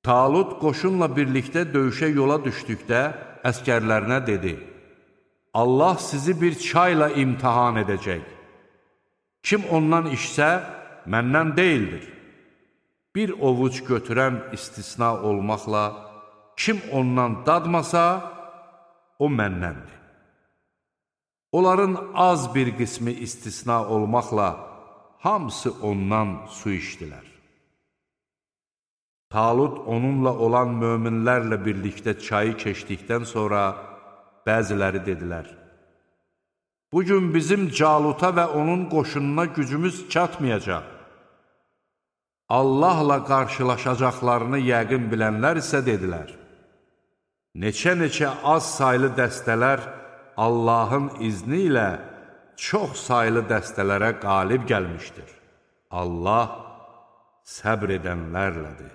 Talut qoşunla birlikdə döyüşə yola düşdükdə əskərlərinə dedi: Allah sizi bir çayla imtihan edəcək. Kim ondan içsə, məndən deyildir. Bir ovuc götürən istisna olmaqla, kim ondan dadmasa, o məndəndir. Onların az bir qismi istisna olmaqla, hamısı ondan su içdilər. Talut onunla olan möminlərlə birlikdə çayı keçdikdən sonra bəziləri dedilər: Bugün bizim Caluta və onun qoşununa gücümüz çatmayacaq. Allahla qarşılaşacaqlarını yəqin bilənlər isə dedilər: Neçə-neçə az saylı dəstələr Allahın izni ilə çox saylı dəstələrə qalib gəlmişdir. Allah səbr edənlərlədir.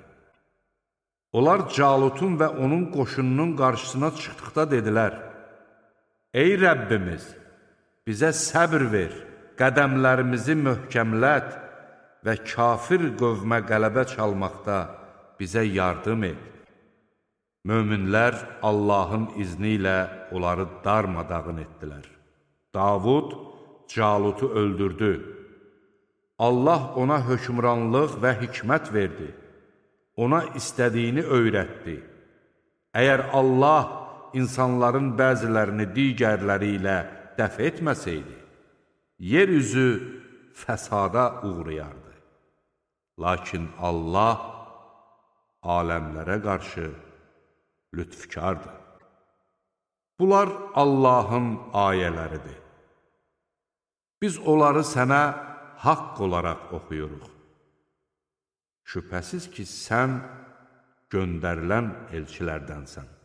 Onlar Calutun və onun qoşununun qarşısına çıxdıqda dedilər: Ey Rəbbimiz, bizə səbr ver, qədəmlərimizi möhkəmlət və kafir qövmə qələbə çalmaqda bizə yardım et. Möminlər Allahın izni ilə onları darmadağın etdilər. Davud Calutu öldürdü. Allah ona hökmranlıq və hikmət verdi. Ona istədiyini öyrətdi. Əgər Allah insanların bəzilərini digərləri ilə dəf etməsəydi, yeryüzü fəsada uğrayardı. Lakin Allah aləmlərə qarşı lütfkardır. Bunlar Allahın ayələridir. Biz onları sənə haqq olaraq oxuyuruq. Şübhəsiz ki, sən göndərilən elçilərdənsən.